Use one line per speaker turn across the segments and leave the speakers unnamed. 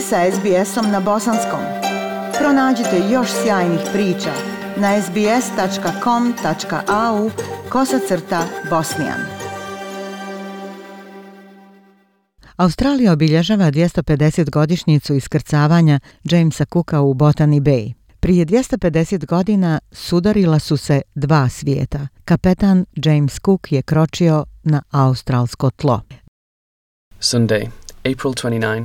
ste sa SBS-om na bosanskom. Pronađite još sjajnih priča na sbs.com.au/bosnijan. Australija obilježava 250-godišnjicu iskrcavanja Jamesa Cooka u Botany Bay. Prije 250 godina sudarila su se dva svijeta. Kapetan James Cook je kročio na australsko tlo.
Sunday, April 29.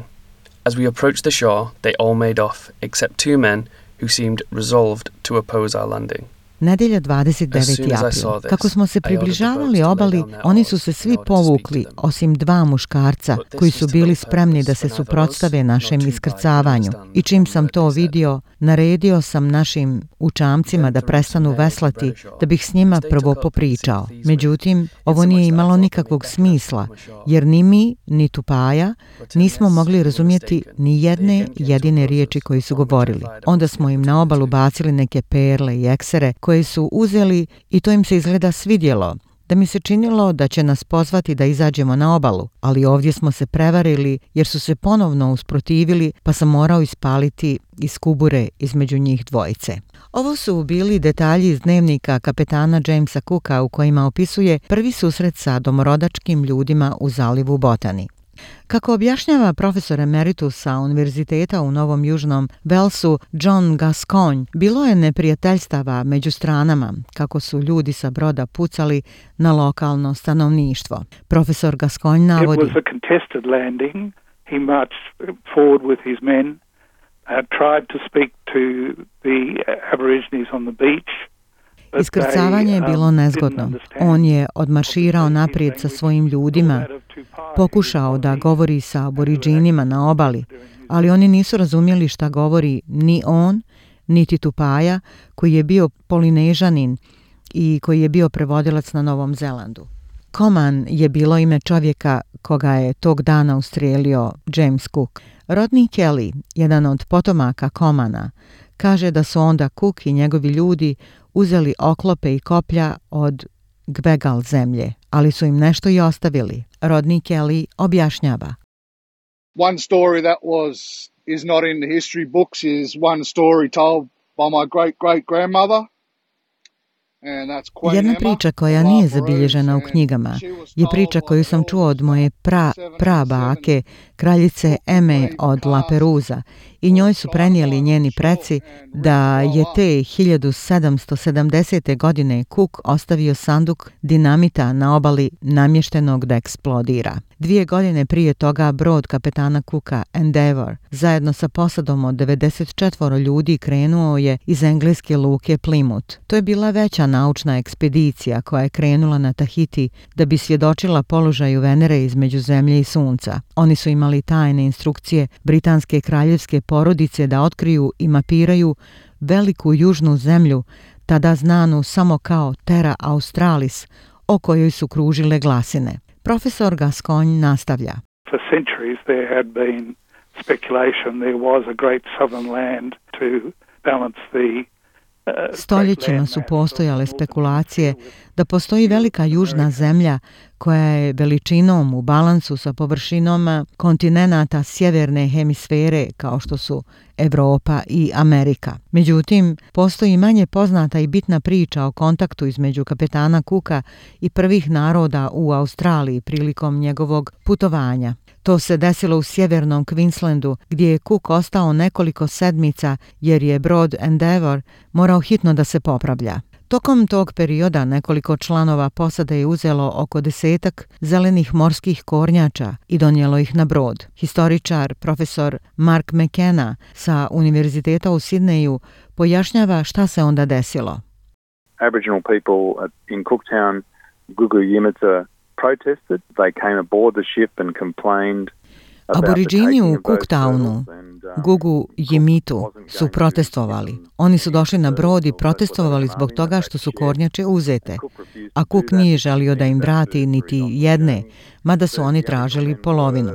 As we approached the shore, they all made off, except two men who seemed resolved to oppose our landing.
Nedjelja 29. april. Kako smo se približavali obali, oni su se svi povukli, osim dva muškarca koji su bili spremni da se suprotstave našem iskrcavanju. I čim sam to vidio, naredio sam našim učamcima da prestanu veslati, da bih s njima prvo popričao. Međutim, ovo nije imalo nikakvog smisla, jer ni mi, ni Tupaja nismo mogli razumjeti ni jedne jedine riječi koji su govorili. Onda smo im na obalu bacili neke perle i eksere koje su uzeli i to im se izgleda svidjelo, da mi se činilo da će nas pozvati da izađemo na obalu, ali ovdje smo se prevarili jer su se ponovno usprotivili, pa sam morao ispaliti iz kubure između njih dvojice. Ovo su bili detalji iz dnevnika kapetana Jamesa Cooka u kojima opisuje prvi susret sa domorodačkim ljudima u zalivu Botany. Kako objašnjava profesor emeritus sa univerziteta u Novom Južnom Walesu John Gascoigne, bilo je neprijateljstava među stranama kako su ljudi sa broda pucali na lokalno stanovništvo. Profesor Gascoigne navodi:
It was a contested landing. He marched forward with his men, tried to speak to the Aborigines on the beach.
Iskrcavanje je bilo nezgodno. On je odmarširao naprijed sa svojim ljudima, pokušao da govori sa aboriđinima na obali, ali oni nisu razumjeli šta govori ni on, niti Tupaja, koji je bio Polinežanin i koji je bio prevodilac na Novom Zelandu. Coman je bilo ime čovjeka koga je tog dana ustrijelio James Cook. Rodney Kelly, jedan od potomaka Comana, kaže da su onda Cook i njegovi ljudi uzeli oklope i koplja od Gbegal zemlje, ali su im nešto i ostavili. Rodney Kelly objašnjava:
One story that is not in the history books is one story told by my great-great-grandmother.
Jedna priča koja nije zabilježena u knjigama je priča koju sam čuo od moje prabake, kraljice Eme od La Perusa, i njoj su prenijeli njeni preci da je te 1770. godine Cook ostavio sanduk dinamita na obali namještenog da eksplodira. 2 godine prije toga brod kapetana Cooka Endeavour zajedno sa posadom od 94 ljudi krenuo je iz engleske luke Plymouth. To je bila veća naučna ekspedicija koja je krenula na Tahiti da bi svjedočila položaju Venere između zemlje i sunca. Oni su imali tajne instrukcije britanske kraljevske porodice da otkriju i mapiraju veliku južnu zemlju, tada znanu samo kao Terra Australis, o kojoj su kružile glasine. Profesor Gascoigne nastavlja:
For centuries there had been speculation there was a great southern land to balance the
Stoljećima su postojale spekulacije da postoji velika južna zemlja koja je veličinom u balansu sa površinom kontinenata sjeverne hemisfere kao što su Europa i Amerika. Međutim, postoji manje poznata i bitna priča o kontaktu između kapetana Cooka i prvih naroda u Australiji prilikom njegovog putovanja. To se desilo u sjevernom Queenslandu, gdje je Cook ostao nekoliko sedmica jer je brod Endeavour morao hitno da se popravlja. Tokom tog perioda nekoliko članova posade je uzelo oko 10 zelenih morskih kornjača i donijelo ih na brod. Historičar profesor Mark McKenna sa Univerziteta u Sidneju pojašnjava šta se onda desilo.
Aboriginal people in Cooktown, Gugu Yimithirr, protested. They came aboard the ship and complained.
Aboriđini u Cooktownu, Gugu Yimitu, su protestovali. Oni su došli na brod i protestovali zbog toga što su kornjače uzete, a Cook nije želio da im vrati niti jedne, mada su oni tražili polovinu.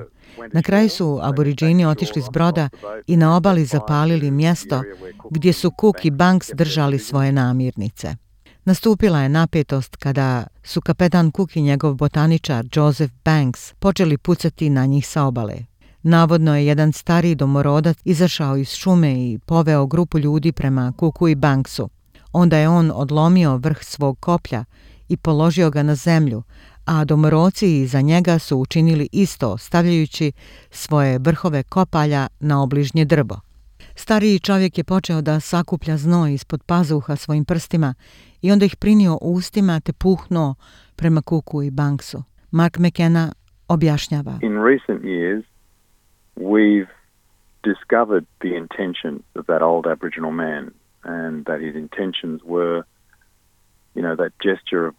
Na kraju su aboriđini otišli s broda i na obali zapalili mjesto gdje su Cook i Banks držali svoje namirnice. Nastupila je napetost kada su kapetan Cook i njegov botaničar Joseph Banks počeli pucati na njih sa obale. Navodno je jedan stariji domorodac izašao iz šume i poveo grupu ljudi prema Kukui Banksu. Onda je on odlomio vrh svog koplja i položio ga na zemlju, a domoroci iza njega su učinili isto, stavljajući svoje vrhove kopalja na obližnje drvo. Stariji čovjek je počeo da sakuplja znoj ispod pazuha svojim prstima i onda ih prinio ustima te puhnuo prema Kukui Banksu. Mark McKenna objašnjava.
In recent years, we've discovered the intentions of that old Aboriginal man and that his intentions were, that gesture of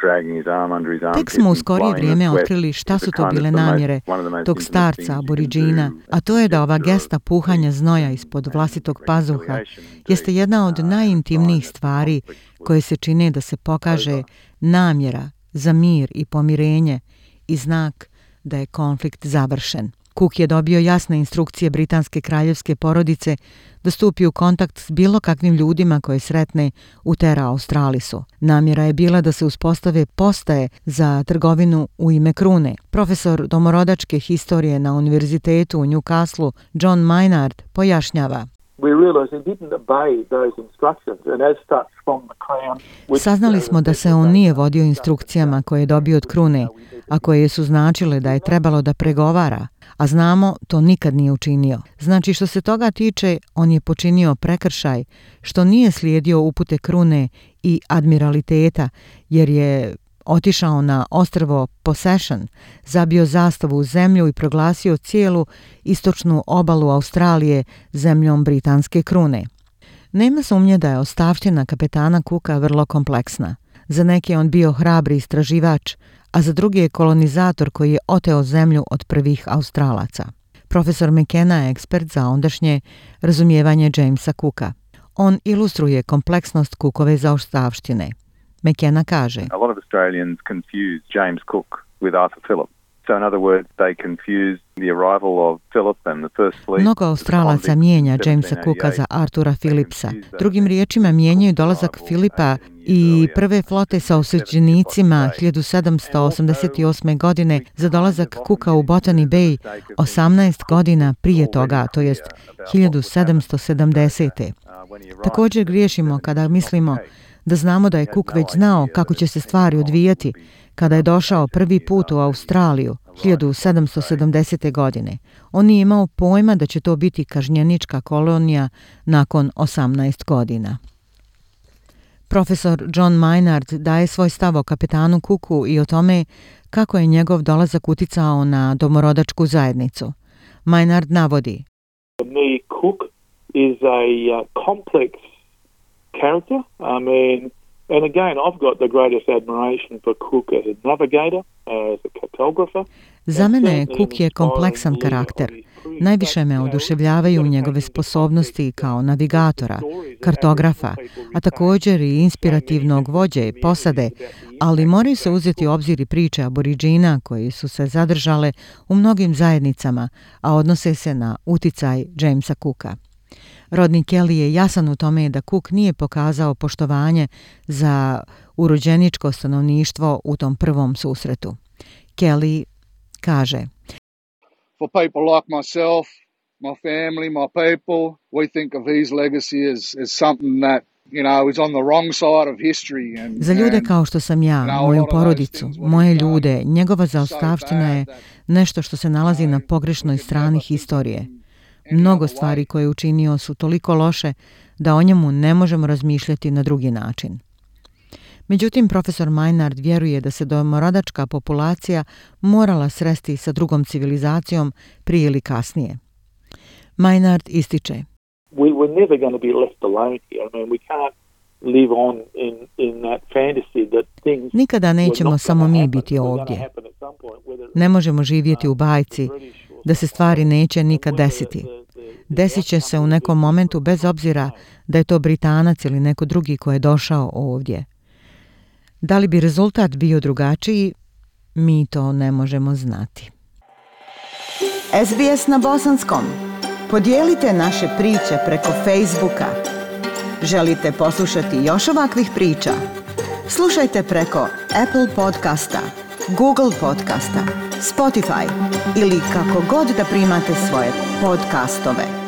dragging his arm under his arm.
Tek smo u skorije vrijeme otkrili šta su to bile namjere tog starca Aboridžina, a to je da ova gesta puhanja znoja ispod vlastitog pazuha jeste jedna od najintimnijih stvari koje se čine da se pokaže namjera za mir i pomirenje i znak da je konflikt završen. Cook je dobio jasne instrukcije britanske kraljevske porodice da stupi u kontakt s bilo kakvim ljudima koje sretne u Terra Australisu. Namjera je bila da se uspostave postaje za trgovinu u ime krune. Profesor domorodačke historije na univerzitetu u Newcastle, John Maynard, pojašnjava. Saznali smo da se on nije vodio instrukcijama koje je dobio od krune, a koje su značile da je trebalo da pregovara, a znamo to nikad nije učinio. Znači što se toga tiče, on je počinio prekršaj što nije slijedio upute krune i admiraliteta, jer je otišao na ostrvo Possession, zabio zastavu u zemlju i proglasio cijelu istočnu obalu Australije zemljom britanske krune. Nema sumnje da je ostavština kapetana Cooka vrlo kompleksna. Za neke je on bio hrabri istraživač, a za druge je kolonizator koji je oteo zemlju od prvih Australaca. Profesor McKenna je ekspert za ondašnje razumijevanje Jamesa Cooka. On ilustruje kompleksnost Cookove zaostavštine. McKenna kaže:
A lot of Australians confuse James Cook with Arthur Phillip. So in other words, they confuse the arrival of Phillip and the first fleet.
Mnogo Australaca mijenja Jamesa Cooka za Artura Phillipsa. Drugim riječima mijenjaju dolazak Filipa i prve flote sa osuđenicima 1788. godine za dolazak Cooka u Botany Bay 18 godina prije toga, to jest 1770. Također griješimo kada mislimo da znamo da je Cook već znao kako će se stvari odvijati kada je došao prvi put u Australiju 1770. godine. On nije imao pojma da će to biti kažnjenička kolonija nakon 18 godina. Profesor John Maynard daje svoj stav o kapetanu Cooku i o tome kako je njegov dolazak uticao na domorodačku zajednicu. Maynard navodi:
Cook is a complex character. And again, I've got the greatest admiration for Cook as a navigator, as a cartographer.
Za mene Cook je kompleksan karakter. Najviše me oduševljavaju njegove sposobnosti kao navigatora, kartografa, a također i inspirativnog vođe posade, ali moraju se uzeti u obzir i priče Aboridžina koji su se zadržale u mnogim zajednicama, a odnose se na uticaj Jamesa Cooka. Rodney Kelly je jasan u tome da Cook nije pokazao poštovanje za urođeničko stanovništvo u tom prvom susretu. Kelly kaže:
For people like myself, my family, my people, we think of his legacy as something that is on the wrong side of history.
Za ljude kao što sam ja, moju porodicu, moje ljude, njegova zaostavština je nešto što se nalazi na pogrešnoj strani historije. Mnogo stvari koje je učinio su toliko loše da o njemu ne možemo razmišljati na drugi način. Međutim, profesor Maynard vjeruje da se domorodačka populacija morala sresti sa drugom civilizacijom prije ili kasnije. Maynard ističe:
We're never going to be left alone here. We can't live on in that fantasy that things.
Nikada nećemo samo mi biti ovdje. Ne možemo živjeti u bajci da se stvari neće nikad desiti. Desit će se u nekom momentu bez obzira da je to Britanac ili neko drugi ko je došao ovdje. Da li bi rezultat bio drugačiji, mi to ne možemo znati.
SBS na bosanskom. Podijelite naše priče preko Facebooka. Želite poslušati još ovakvih priča? Slušajte preko Apple podcasta, Google podcasta, Spotify ili kako god da primate svoje podcastove.